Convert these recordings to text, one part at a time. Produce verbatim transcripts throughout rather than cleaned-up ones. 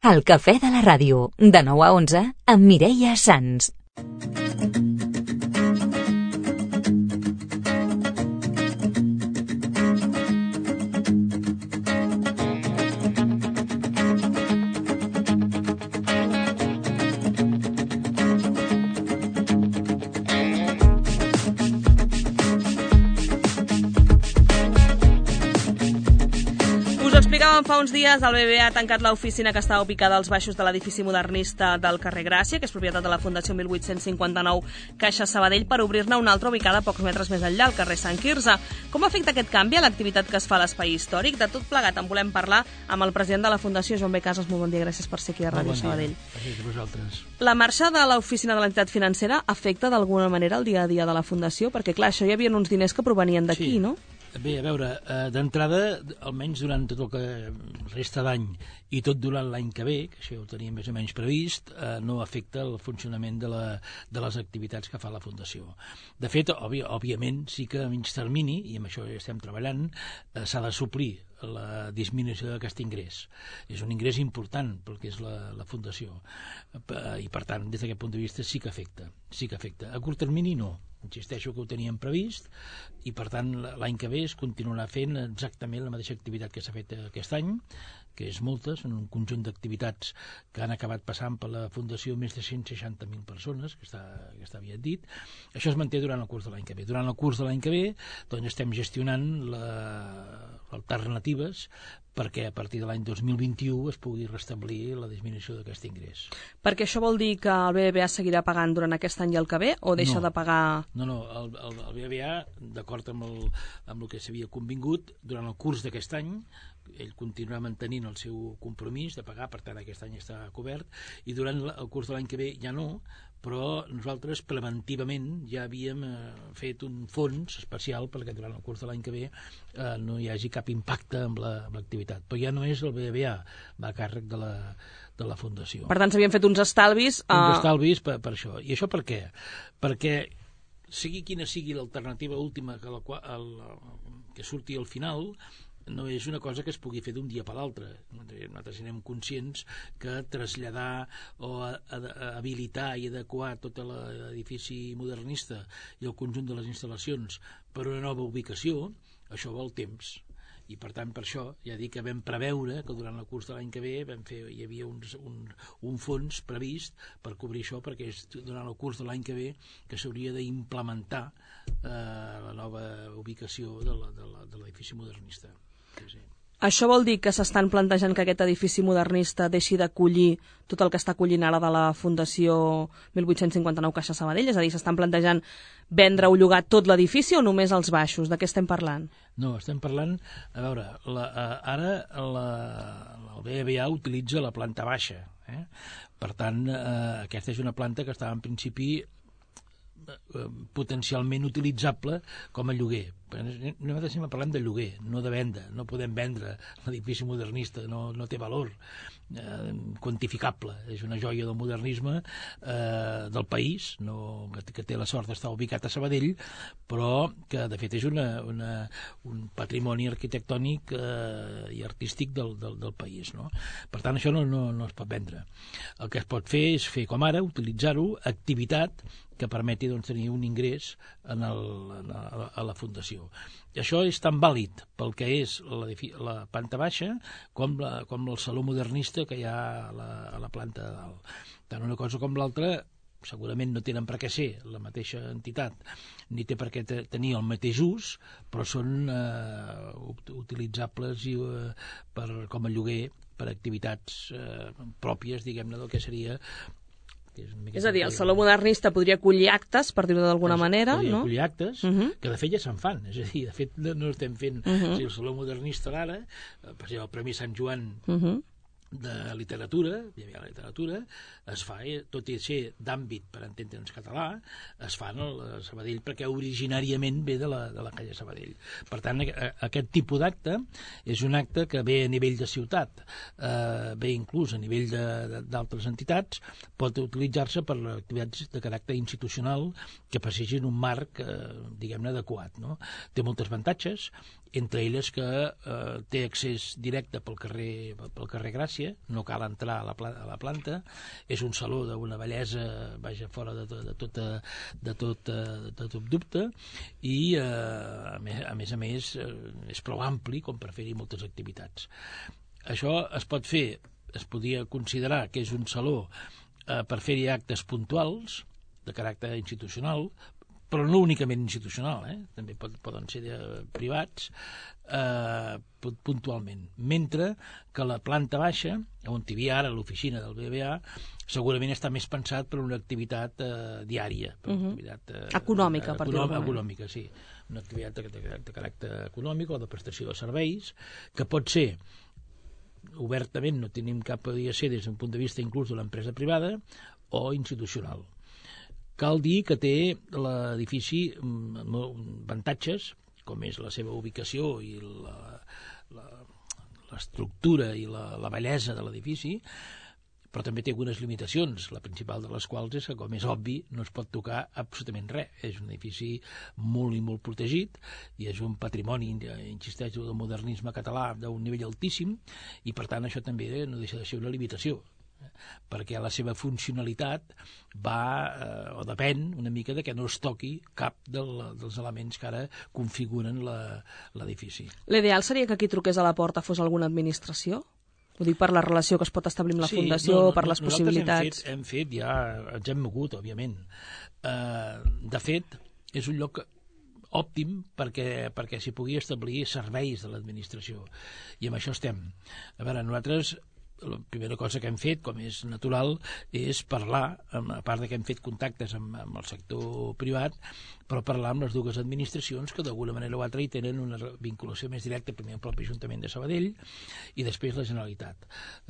El cafè de la ràdio, de nou a onze, amb Mireia Sans. Fa uns dies el B B A ha tancat l'oficina que estava ubicada als baixos de l'edifici modernista del carrer Gràcia, que és propietat de la Fundació mil vuit-cents cinquanta-nou Caixa Sabadell, per obrir-ne una altra ubicada a pocs metres més enllà, al carrer Sant Quirze. Com afecta aquest canvi a l'activitat que es fa a l'espai històric? De tot plegat en volem parlar amb el president de la Fundació, Joan B. Casas. Molt bon dia, gràcies per ser aquí a Ràdio bon Sabadell. Gràcies a vosaltres. La marxa de l'oficina de l'entitat financera afecta d'alguna manera el dia a dia de la Fundació? Perquè, clar, això hi havia uns diners que provenien d'aquí, sí. no? Bé, a veure, eh, d'entrada, almenys durant tot el que resta d'any i tot durant l'any que ve, que això ho teníem més o menys previst, eh, no afecta el funcionament de, la, de les activitats que fa la Fundació. De fet, òbvi, òbviament, sí que a mig termini, i amb això ja estem treballant, eh, s'ha de suplir la disminució d'aquest ingrés. És un ingrés important pel que és la, la Fundació. I, per tant, des d'aquest punt de vista sí que afecta. Sí que afecta. A curt termini no. Insisteixo que ho teníem previst i, per tant, l'any que ve es continuarà fent exactament la mateixa activitat que s'ha fet aquest any, que és moltes, en un conjunt d'activitats que han acabat passant per la Fundació més de cent seixanta mil persones, que està, que està aviat dit. Això es manté durant el curs de l'any que ve. Durant el curs de l'any que ve doncs, estem gestionant la, alternatives perquè a partir de l'any dos mil vint-i-u es pugui restablir la disminució d'aquest ingrés. Perquè això vol dir que el B B V A seguirà pagant durant aquest any i el que ve, o deixa no, de pagar... No, no, el, el, el B B V A, d'acord amb el, amb el que s'havia convingut, durant el curs d'aquest any, ell continuarà mantenint el seu compromís de pagar, per tant aquest any està cobert, i durant el curs de l'any que ve ja no, però nosaltres preventivament ja havíem eh, fet un fons especial perquè durant el curs de l'any que ve eh, no hi hagi cap impacte amb l'activitat. La, però ja no és el B B V A, va a càrrec de la, de la Fundació. Per tant, s'havien fet uns estalvis... Uh... Uns estalvis per, per això. I això per què? Perquè sigui quina sigui l'alternativa última que, la, el, que surti al final, no és una cosa que es pugui fer d'un dia per l'altre. Nosaltres anem conscients que traslladar o a, a, a habilitar i adequar tot l'edifici modernista i el conjunt de les instal·lacions per una nova ubicació, això vol temps. I per tant per això ja dic que vam preveure que durant el curs de l'any que ve vam fer, hi havia uns, un, un fons previst per cobrir això, perquè és durant el curs de l'any que ve que s'hauria d'implementar eh, la nova ubicació de l'edifici modernista. Sí, sí. Això vol dir que s'estan plantejant que aquest edifici modernista deixi d'acollir tot el que està acollint ara de la Fundació mil vuit-cents cinquanta-nou Caixa Sabadell? És a dir, s'estan plantejant vendre o llogar tot l'edifici o només els baixos? De què estem parlant? No, estem parlant... A veure, la, ara la, el B B V A utilitza la planta baixa. Eh? Per tant, eh, aquesta és una planta que estava en principi potencialment utilitzable com a lloguer. Nosaltres estem parlant de lloguer, no de venda. No podem vendre l'edifici modernista, no, no té valor eh, quantificable. És una joia del modernisme eh, del país, no, que té la sort d'estar ubicat a Sabadell, però que de fet és una, una, un patrimoni arquitectònic eh, i artístic del, del, del país. No? Per tant, això no, no, no es pot vendre. El que es pot fer és fer com ara, utilitzar-ho, activitat que permeti doncs, tenir un ingrés en el, en la, a la Fundació. I això és tan vàlid pel que és la, la planta baixa com, la, com el saló modernista que hi ha a la, a la planta de dalt. Tant una cosa com l'altra segurament no tenen per què ser la mateixa entitat, ni té per què tenir el mateix ús, però són eh, utilitzables i, eh, per, com a lloguer per activitats eh, pròpies, diguem-ne, del que seria... És, és a dir, el Saló Modernista podria acollir actes, per dir-ho d'alguna manera, podria no? acollir actes, uh -huh. que de fet ja se'n fan. És a dir, de fet no estem fent... Uh -huh. O sigui, el Saló Modernista d'ara, per exemple, el Premi Sant Joan uh -huh. de literatura, hi havia la literatura, es fa, tot i ser d'àmbit per entendre'ns català, es fa a Sabadell perquè originàriament ve de la, de la calle Sabadell. Per tant, aquest tipus d'acte és un acte que ve a nivell de ciutat, eh, ve inclús a nivell d'altres entitats, pot utilitzar-se per activitats de caràcter institucional que passegin un marc, eh, diguem-ne, adequat. No? Té moltes avantatges, entre elles que eh, té accés directe pel carrer, pel carrer Gràcia, superfície, no cal entrar a la, pla a la planta, és un saló d'una bellesa, vaja, fora de, to de, tot, de, tot, de tot dubte, i eh, a, més, a més a més eh, és prou ampli com per fer-hi moltes activitats. Això es pot fer, es podria considerar que és un saló eh, per fer-hi actes puntuals, de caràcter institucional, però no únicament institucional, eh? També pot, poden ser de, privats, eh, puntualment. Mentre que la planta baixa, on hi havia ara l'oficina del B B A, segurament està més pensat per una activitat eh, diària, per una uh-huh. activitat eh, econòmica, per dir-ho. Econòmica, sí. Una activitat de, de, de caràcter econòmic o de prestació de serveis, que pot ser obertament, no tenim cap, podria ser des d'un punt de vista inclús de l'empresa privada o institucional. Cal dir que té l'edifici avantatges, com és la seva ubicació i l'estructura i la, la bellesa de l'edifici, però també té algunes limitacions, la principal de les quals és que, com és obvi, no es pot tocar absolutament res. És un edifici molt i molt protegit i és un patrimoni, insisteixo, del modernisme català d'un nivell altíssim, i per tant això també no deixa de ser una limitació, perquè la seva funcionalitat va eh, o depèn una mica de que no es toqui cap del, dels elements que ara configuren l'edifici. L'ideal seria que qui truqués a la porta fos alguna administració? Ho dic per la relació que es pot establir amb la sí, fundació, no, no, per les possibilitats. Hem fet, hem fet ja, ens hem mogut, òbviament. Eh, de fet, és un lloc òptim perquè, perquè s'hi pugui establir serveis de l'administració. I amb això estem. A veure, nosaltres la primera cosa que hem fet, com és natural, és parlar, a part de que hem fet contactes amb, amb el sector privat, però parlar amb les dues administracions que d'alguna manera o altra hi tenen una vinculació més directa, primer el propi Ajuntament de Sabadell i després la Generalitat.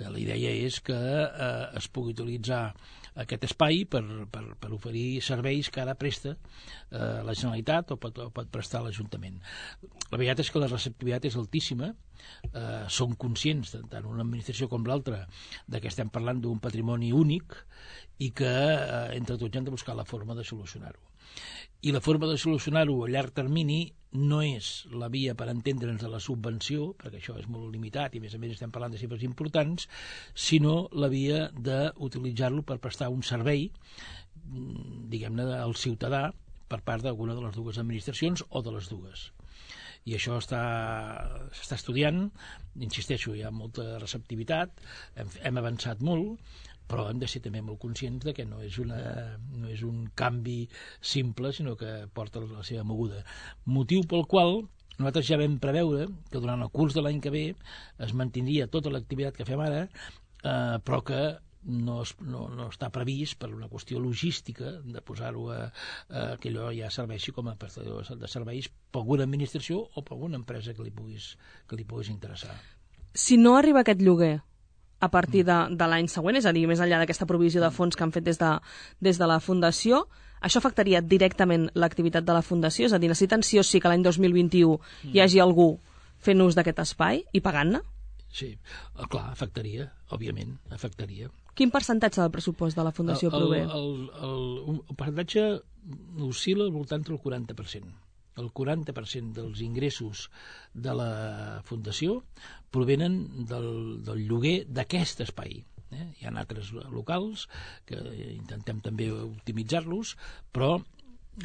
La idea és que eh, es pugui utilitzar aquest espai per, per, per oferir serveis que ara presta eh, la Generalitat o pot, o pot prestar l'Ajuntament. La veritat és que la receptivitat és altíssima, eh, som conscients, tant una administració com l'altra, de que estem parlant d'un patrimoni únic i que eh, entre tots hem de buscar la forma de solucionar-ho. I la forma de solucionar-ho a llarg termini no és la via per entendre'ns de la subvenció, perquè això és molt limitat i a més a més estem parlant de xifres importants, sinó la via d'utilitzar-lo per prestar un servei, diguem-ne, al ciutadà per part d'alguna de les dues administracions o de les dues. I això s'està estudiant, insisteixo, hi ha molta receptivitat, hem, hem avançat molt, però hem de ser també molt conscients de que no és, una, no és un canvi simple, sinó que porta la seva moguda. Motiu pel qual nosaltres ja vam preveure que durant el curs de l'any que ve es mantindria tota l'activitat que fem ara, eh, però que no, es, no, no està previst per una qüestió logística de posar-ho a, a que allò ja serveixi com a prestador de serveis per alguna administració o per alguna empresa que li puguis, que li puguis interessar. Si no arriba aquest lloguer a partir de, de l'any següent, és a dir, més enllà d'aquesta provisió de fons que han fet des de, des de la Fundació, això afectaria directament l'activitat de la Fundació? És a dir, necessiten sí o sí que l'any dos mil vint-i-u hi hagi algú fent ús d'aquest espai i pagant-ne? Sí, clar, afectaria, òbviament, afectaria. Quin percentatge del pressupost de la Fundació el, prové? El, el, el, el percentatge oscil·la al voltant del quaranta per cent. El quaranta per cent dels ingressos de la Fundació provenen del, del lloguer d'aquest espai. Eh? Hi ha altres locals que intentem també optimitzar-los, però...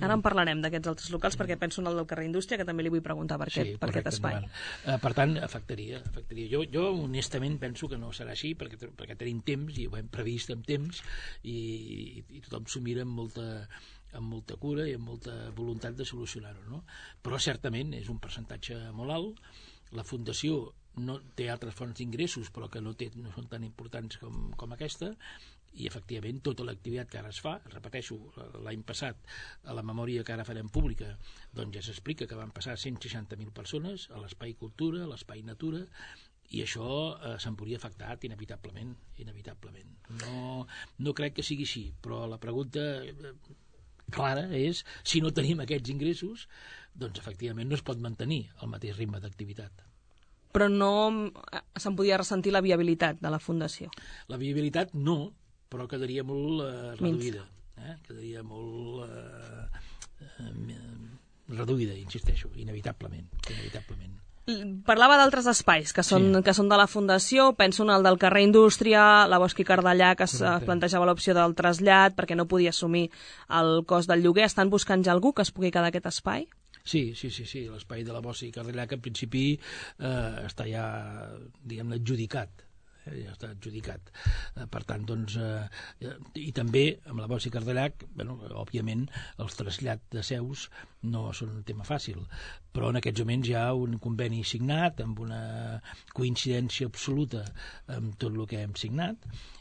Ara en parlarem d'aquests altres locals perquè penso en el del carrer Indústria, que també li vull preguntar per, sí, aquest, per aquest espai. Uh, per tant, afectaria. afectaria. Jo, jo honestament penso que no serà així perquè, perquè tenim temps i ho hem previst amb temps i, i, i tothom s'ho mira amb molta... amb molta cura i amb molta voluntat de solucionar-ho, no? Però certament és un percentatge molt alt. La Fundació no té altres fonts d'ingressos, però que no, té, no són tan importants com, com aquesta, i efectivament tota l'activitat que ara es fa, repeteixo, l'any passat a la memòria que ara farem pública, doncs ja s'explica que van passar cent seixanta mil persones a l'espai cultura, a l'espai natura, i això eh, se'n podria afectar inevitablement, inevitablement. No, no crec que sigui així, però la pregunta eh, clara és, si no tenim aquests ingressos, doncs efectivament no es pot mantenir el mateix ritme d'activitat. Però no se'n podia ressentir la viabilitat de la Fundació? La viabilitat no, però quedaria molt eh, reduïda. Eh? Quedaria molt eh, eh, reduïda, insisteixo, inevitablement. inevitablement. Parlava d'altres espais que són, Sí. que són de la Fundació, penso en el del carrer Indústria, la Bosch i Cardellà, que es Correcte. plantejava l'opció del trasllat perquè no podia assumir el cost del lloguer. Estan buscant ja algú que es pugui quedar aquest espai? Sí, sí, sí, sí. L'espai de la Bossa i Cardellà, que en principi eh, està ja, diguem-ne, adjudicat. Eh, ja està adjudicat. Eh, per tant, doncs, eh, i també amb la Bossa i Cardellac, bueno, òbviament, els trasllats de seus no són un tema fàcil, però en aquests moments hi ha un conveni signat amb una coincidència absoluta amb tot el que hem signat,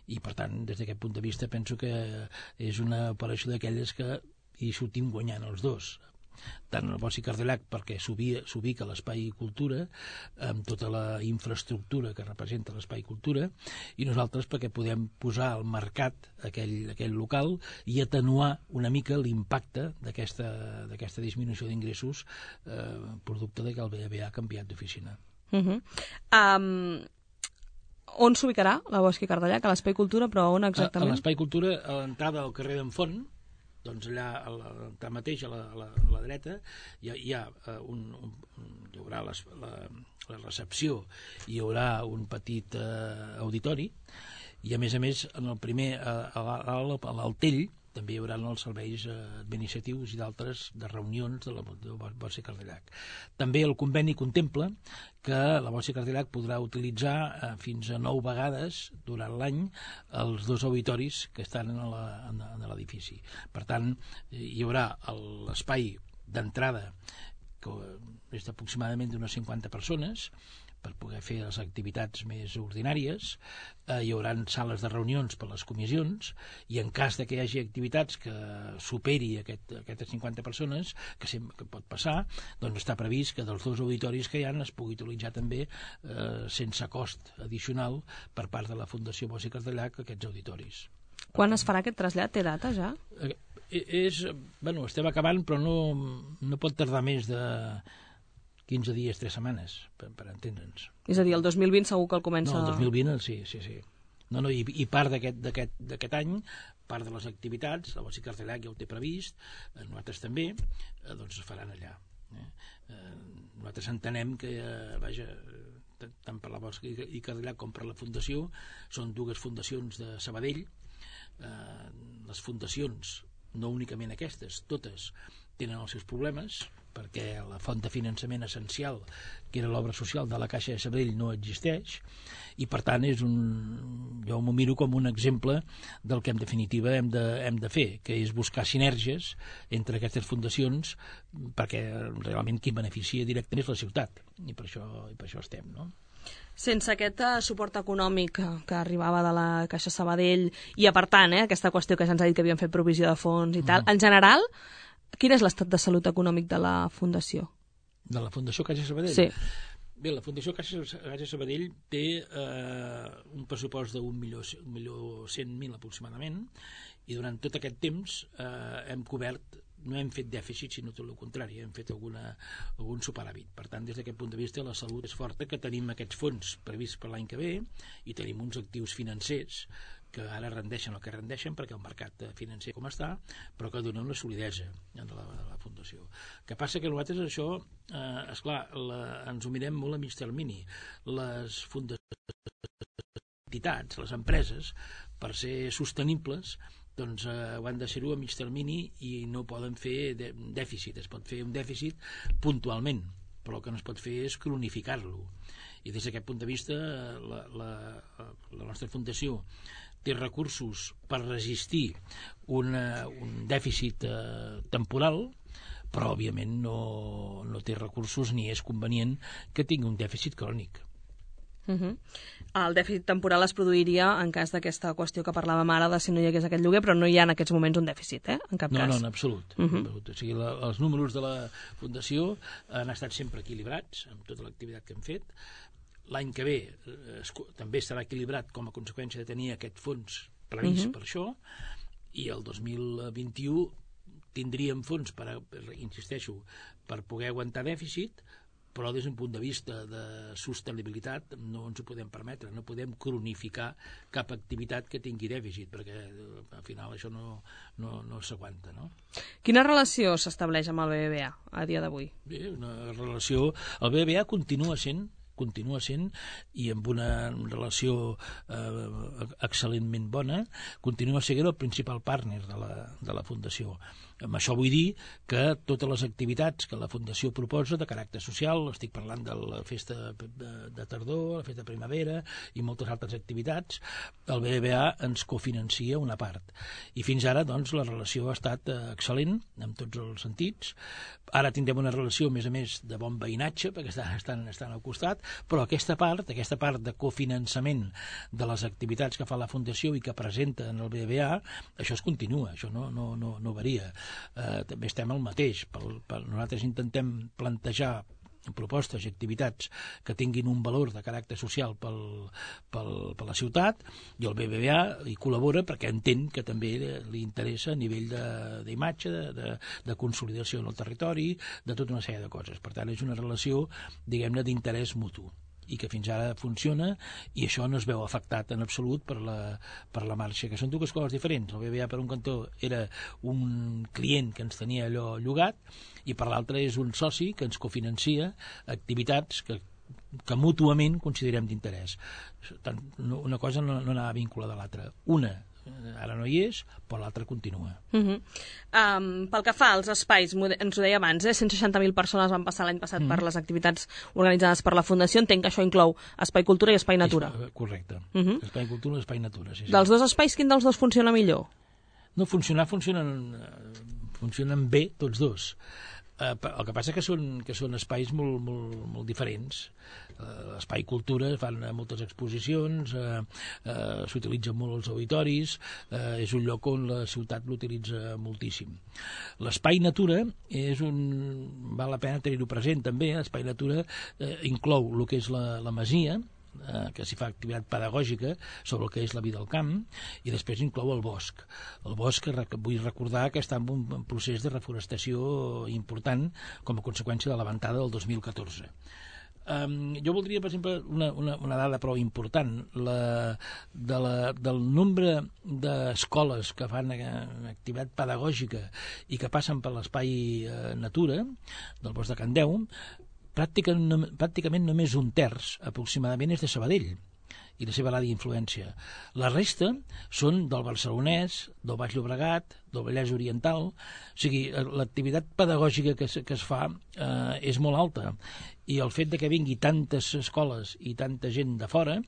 i per tant, des d'aquest punt de vista, penso que és una operació d'aquelles que hi sortim guanyant els dos, tant el Bosch i Cardellach perquè s'ubica l'espai cultura amb tota la infraestructura que representa l'espai cultura, i nosaltres perquè podem posar al mercat aquell, aquell local i atenuar una mica l'impacte d'aquesta d'aquesta disminució d'ingressos eh, producte de que el B B A ha canviat d'oficina. Uh -huh. um, on s'ubicarà la Bosch i Cardellach? A l'espai cultura, però on exactament? A, a l'espai cultura, a l'entrada del carrer d'en Font, doncs allà, allà mateix, a la, a la, a la dreta, hi ha, hi ha un, un, hi haurà les, la, la recepció, hi haurà un petit eh, auditori, i a més a més, en el primer, a, a l'Altell, també hi haurà els serveis eh, administratius i d'altres de reunions de la Bosch i Cardellach. També el conveni contempla que la Bosch i Cardellach podrà utilitzar eh, fins a nou vegades durant l'any els dos auditoris que estan en l'edifici. Per tant, hi haurà l'espai d'entrada, que és d'aproximadament d'unes cinquanta persones, per poder fer les activitats més ordinàries. Eh, hi haurà sales de reunions per les comissions, i en cas de que hi hagi activitats que superi aquest, aquestes cinquanta persones, que sempre que pot passar, doncs està previst que dels dos auditoris que hi ha es pugui utilitzar també eh, sense cost addicional per part de la Fundació Bosch i Cardellach aquests auditoris. Quan es farà aquest trasllat? Té data ja? Eh, és, bueno, estem acabant, però no, no pot tardar més de quinze dies, tres setmanes, per, per entendre'ns. És a dir, el dos mil vint segur que el comença... No, el dos mil vint, sí, sí, sí. No, no, i, i part d'aquest any, part de les activitats, la Bosch i Cardellach ja ho té previst, eh, nosaltres també, eh, doncs es faran allà. Eh? Eh, nosaltres entenem que, eh, vaja, tant per la Bosch i Cardellach com per la Fundació, són dues fundacions de Sabadell. Eh, les fundacions, no únicament aquestes, totes tenen els seus problemes, perquè la font de finançament essencial, que era l'obra social de la Caixa de Sabadell, no existeix, i per tant és un, jo m'ho miro com un exemple del que en definitiva hem de, hem de fer, que és buscar sinergies entre aquestes fundacions, perquè realment qui beneficia directament és la ciutat, i per això, i per això estem, no? Sense aquest suport econòmic que, que arribava de la Caixa Sabadell, i a part tant, eh, aquesta qüestió que se'ns ha dit que havien fet provisió de fons i tal, mm. en general, quin és l'estat de salut econòmic de la Fundació? De la Fundació Caixa Sabadell? Sí. Bé, la Fundació Caixa, Caixa Sabadell té eh, un pressupost d'un milió, un milió cent mil aproximadament, i durant tot aquest temps eh, hem cobert, no hem fet dèficit, sinó tot el contrari, hem fet alguna, algun superàvit. Per tant, des d'aquest punt de vista, la salut és forta, que tenim aquests fons prevists per l'any que ve, i tenim uns actius financers que ara rendeixen el que rendeixen perquè el mercat financer com està, però que donen una solidesa de la, de la Fundació. El que passa que nosaltres això, eh, esclar, la, ens ho mirem molt a mig termini. Les fundacions, entitats, les empreses, per ser sostenibles, doncs eh, ho han de ser-ho a mig termini i no poden fer de, dèficit. Es pot fer un dèficit puntualment, però el que no es pot fer és cronificar-lo. I des d'aquest punt de vista, la, la, la nostra Fundació té recursos per resistir una, un dèficit eh, temporal, però òbviament no, no té recursos ni és convenient que tingui un dèficit crònic. Uh -huh. El dèficit temporal es produiria en cas d'aquesta qüestió que parlàvem ara de si no hi hagués aquest lloguer, però no hi ha en aquests moments un dèficit, eh? En cap no, cas. No, no, en absolut. Uh -huh. En absolut. O sigui, la, els números de la Fundació han estat sempre equilibrats amb tota l'activitat que hem fet. L'any que ve eh, també estarà equilibrat com a conseqüència de tenir aquest fons previst uh -huh. per això, i el dos mil vint-i-u tindríem fons per, per, insisteixo, per poder aguantar dèficit, però des d'un punt de vista de sostenibilitat no ens ho podem permetre, no podem cronificar cap activitat que tingui dèficit, perquè al final això no, no, no s'aguanta, no? Quina relació s'estableix amb el B B V A a dia d'avui? Bé, una relació... El B B V A continua sent continua sent, i amb una relació eh, excel·lentment bona, continua sent el principal partner de la, de la Fundació. Amb això vull dir que totes les activitats que la Fundació proposa de caràcter social, estic parlant de la festa de, de tardor, la festa de primavera i moltes altres activitats, el B B V A ens cofinancia una part. I fins ara, doncs, la relació ha estat excel·lent en tots els sentits. Ara tindrem una relació, a més a més, de bon veïnatge, perquè estan, estan, estan al costat, però aquesta part, aquesta part de cofinançament de les activitats que fa la Fundació i que presenta en el B B V A, això es continua, això no, no, no, no varia. Eh, també estem al mateix. Pel, pel, nosaltres intentem plantejar propostes i activitats que tinguin un valor de caràcter social pel, pel, per la ciutat, i el B B V A hi col·labora perquè entén que també li interessa a nivell d'imatge, de, de, de consolidació en el territori, de tota una sèrie de coses. Per tant, és una relació, diguem-ne, d'interès mutu, i que fins ara funciona, i això no es veu afectat en absolut per la, per la marxa, que són dues coses diferents. El B B V A, per un cantó, era un client que ens tenia allò llogat, i per l'altre és un soci que ens cofinancia activitats que, que mútuament considerem d'interès. Una cosa no, no anava vinculada a l'altra. Una ara no hi és, però l'altre continua. Uh -huh. um, pel que fa als espais, ens ho deia abans, eh? cent seixanta mil persones van passar l'any passat uh -huh. per les activitats organitzades per la Fundació. Entenc que això inclou Espai Cultura i Espai Natura. És, correcte. Uh -huh. Espai Cultura i Espai Natura. Sí, sí. Dels dos espais, quin dels dos funciona millor? No, funcionar funcionen, funcionen bé tots dos. Uh, el que passa que són, que són espais molt, molt, molt diferents. Uh, Espai Cultura fan moltes exposicions, uh, uh, s'utilitzen molt els auditoris, uh, és un lloc on la ciutat l'utilitza moltíssim. L'Espai Natura és un... val la pena tenir-ho present també. L'Espai Natura uh, inclou el que és la, la masia, eh, que s'hi fa activitat pedagògica sobre el que és la vida al camp, i després inclou el bosc. El bosc, vull recordar que està en un procés de reforestació important com a conseqüència de la ventada del dos mil catorze. Um, jo voldria, per exemple, una, una, una dada prou important, la, de la, del nombre d'escoles que fan activitat pedagògica i que passen per l'Espai eh, Natura del Bosc de Can Deu. Pràcticament, pràcticament només un terç aproximadament és de Sabadell i la seva àrea d'influència. La resta són del Barcelonès, del Baix Llobregat, del Vallès Oriental. O sigui, l'activitat pedagògica que es, que es fa eh, és molt alta, i el fet de que vingui tantes escoles i tanta gent de fora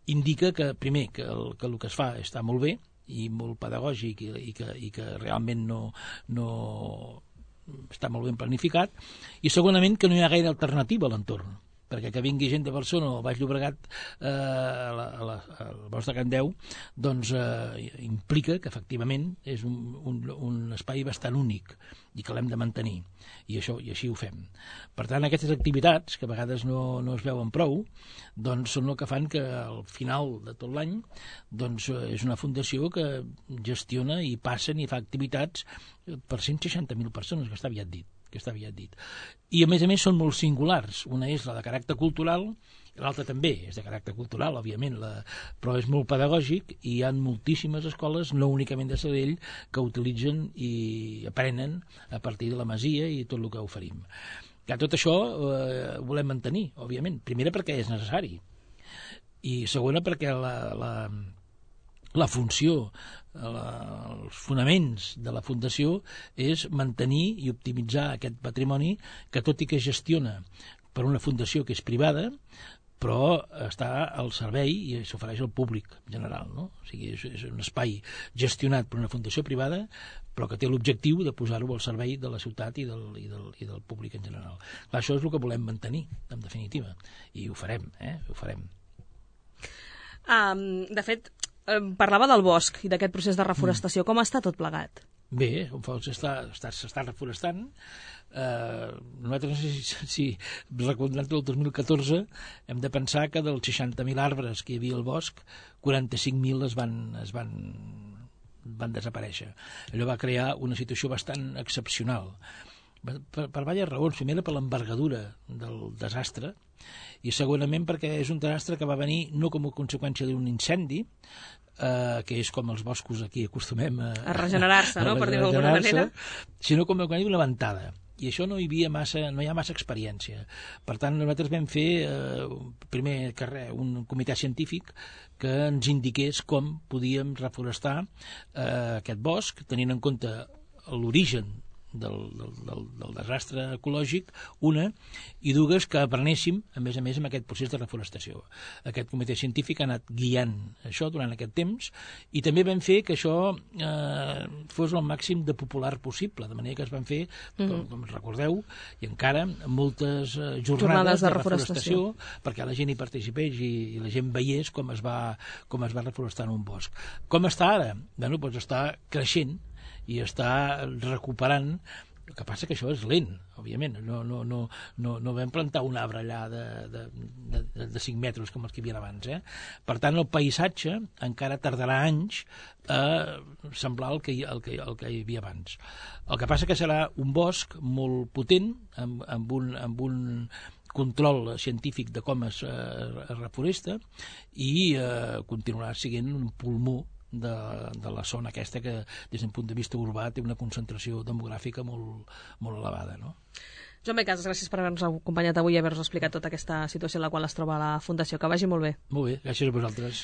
indica que, primer, que el que, el que es fa està molt bé i molt pedagògic, i, i, que, i que realment no... no està molt ben planificat, i segonament que no hi ha gaire alternativa a l'entorn, perquè que vingui gent de Barcelona o al Baix Llobregat eh, a la, a la, al Bosc de Can Deu, doncs eh, implica que efectivament és un, un, un espai bastant únic i que l'hem de mantenir, i això i així ho fem. Per tant, aquestes activitats, que a vegades no, no es veuen prou, doncs són el que fan que al final de tot l'any doncs, és una fundació que gestiona i passen i fa activitats per cent seixanta mil persones, que està aviat dit. que està aviat dit. I a més a més són molt singulars. Una és la de caràcter cultural, i l'altra també és de caràcter cultural, òbviament, la... però és molt pedagògic, i hi ha moltíssimes escoles, no únicament de Sabadell, que utilitzen i aprenen a partir de la masia i tot el que oferim. Que tot això eh, volem mantenir, òbviament. Primera, perquè és necessari, i segona, perquè la, la, la funció, la, els fonaments de la Fundació és mantenir i optimitzar aquest patrimoni que, tot i que gestiona per una fundació que és privada, però està al servei i s'ofereix al públic en general, no? O sigui, és, és un espai gestionat per una fundació privada, però que té l'objectiu de posar-ho al servei de la ciutat i del, i del, i del públic en general. Clar, això és el que volem mantenir, en definitiva, i ho farem, eh? Ho farem. Um, de fet, parlava del bosc i d'aquest procés de reforestació. Mm. Com està tot plegat? Bé, s'està s'està reforestant. Eh, nosaltres, no sé si, si recordant el dos mil catorze, hem de pensar que dels seixanta mil arbres que hi havia al bosc, quaranta-cinc mil es van, es van, van desaparèixer. Allò va crear una situació bastant excepcional. per, per diverses raons. Primera, per l'envergadura del desastre, i segurament perquè és un desastre que va venir no com a conseqüència d'un incendi, eh, que és com els boscos aquí acostumem a, a regenerar-se, no? Per dir-ho d'alguna manera, sinó com a d'una ventada. I això no hi havia massa, no hi ha massa experiència. Per tant, nosaltres vam fer eh, primer carrer, un comitè científic que ens indiqués com podíem reforestar eh, aquest bosc, tenint en compte l'origen del, del, del, del desastre ecològic, una, i dues, que aprenéssim, a més a més, amb aquest procés de reforestació. Aquest comitè científic ha anat guiant això durant aquest temps, i també vam fer que això eh, fos el màxim de popular possible, de manera que es van fer, mm-hmm. com, com recordeu, i encara moltes eh, jornades, jornades de, de reforestació, reforestació, perquè la gent hi participés i, i la gent veiés com es va, com es va reforestar en un bosc. Com està ara? Bueno, doncs està creixent i està recuperant. El que passa que això és lent, òbviament. No, no, no, no, no vam plantar un arbre allà de, de, de, de cinc metres com els que hi havia abans. Eh? Per tant, el paisatge encara tardarà anys a semblar el que, hi, el, que, el que hi havia abans. El que passa que serà un bosc molt potent, amb, amb, un, amb un control científic de com es, eh, es reforesta, i eh, continuarà sent un pulmó De, de la zona aquesta que des d'un punt de vista urbà té una concentració demogràfica molt, molt elevada, no? Joan B. Casas, gràcies per haver-nos acompanyat avui i haver-nos explicat tota aquesta situació en la qual es troba la Fundació. Que vagi molt bé. Molt bé, gràcies a vosaltres.